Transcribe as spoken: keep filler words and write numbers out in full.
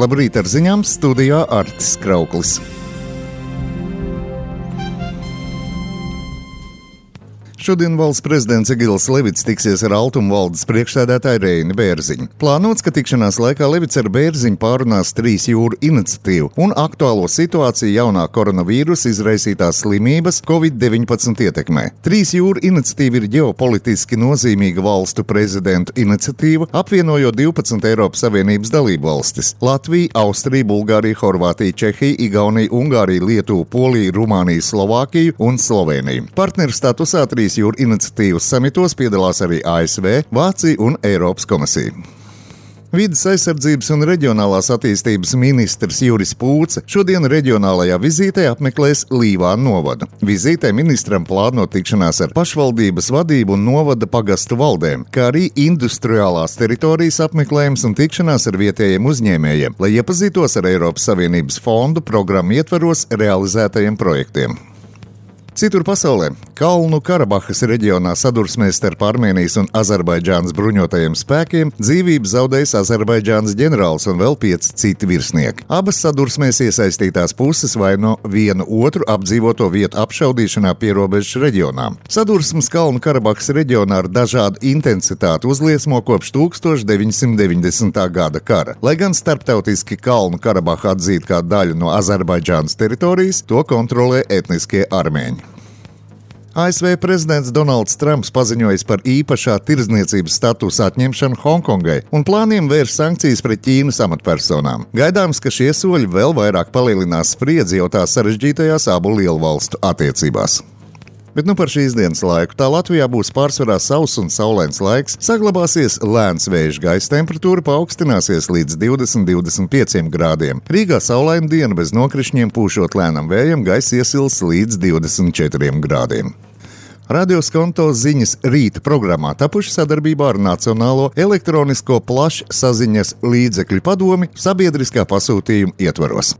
Labrīt ar ziņām, studijā Artis Krauklis. Šodien valsts prezidents Egils Levits tiksies ar Altuma valdes priekšsēdētāju Reini Bērziņu. Plānots, ka tikšanās laikā Levits ar Bērziņu pārunās trīs jūru iniciatīvu un aktuālo situāciju jaunā koronavīrusa izraisītās slimības covid deviņpadsmit ietekmē. Trīs jūru iniciatīva ir ģeopolitiski nozīmīga valstu prezidentu iniciatīva, apvienojot divpadsmit Eiropas Savienības dalību valstis - Latviju, Austriju, Bulgāriju, Horvātiju, Čehiju, Igauniju, Ungāriju, Lietuvu, Poliju, Rumāniju, Slovākiju un Sloveniju. Partneru statusā trīs jūru iniciatīvas samitos piedalās arī A S V, Vācija un Eiropas komisija. Vides aizsardzības un reģionālās attīstības ministrs Juris Pūce šodien reģionālajā vizītē apmeklēs Līvānu novadu. Vizītē ministram plāno tikšanās ar pašvaldības vadību un novada pagastu valdēm, kā arī industriālās teritorijas apmeklējums un tikšanās ar vietējiem uzņēmējiem, lai iepazītos ar Eiropas Savienības fondu programmu ietvaros realizētajiem projektiem. Citur pasaulē Kalnu Karabahas reģionā sadursmēs starp Armēnijas un Azerbaidžānas bruņotajiem spēkiem dzīvību zaudējis Azerbaidžānas ģenerālis un vēl pieci citi virsnieki. Abas sadursmēs iesaistītās puses vaino vienu otru apdzīvoto vietu apšaudīšanā pierobežas reģionā. Sadursmes Kalnu Karabahas reģionā ar dažādu intensitāti uzliesmo kopš tūkstoš deviņsimt deviņdesmitā gada kara. Lai gan starptautiski Kalnu Karabaha atzīta kā daļu no Azerbaidžānas teritorijas, to kontrolē etniskie armēņi. A S V prezidents Donalds Trumps paziņojis par īpašā tirdzniecības statusa atņemšanu Hongkongai un plāniem vērst sankcijas pret Ķīnas amatpersonām. Gaidāms, ka šie soļi vēl vairāk palielinās spriedzi jau tā sarežģītajās abu lielvalstu attiecībās. Bet nu par šīs dienas laiku. Tā Latvijā būs pārsvarā sauss un saulains laiks, saglabāsies lēns vējš, gaisa temperatūra paaugstināsies līdz divdesmit līdz divdesmit pieciem grādiem. Rīgā saulaina diena bez nokrišņiem, pūšot lēnam vējam, gaisa iesils līdz divdesmit četriem grādiem. Radio Skonto ziņas rīta programmā tapuši sadarbībā ar Nacionālo elektronisko plašsaziņas līdzekļu padomi sabiedriskā pasūtījuma ietvaros.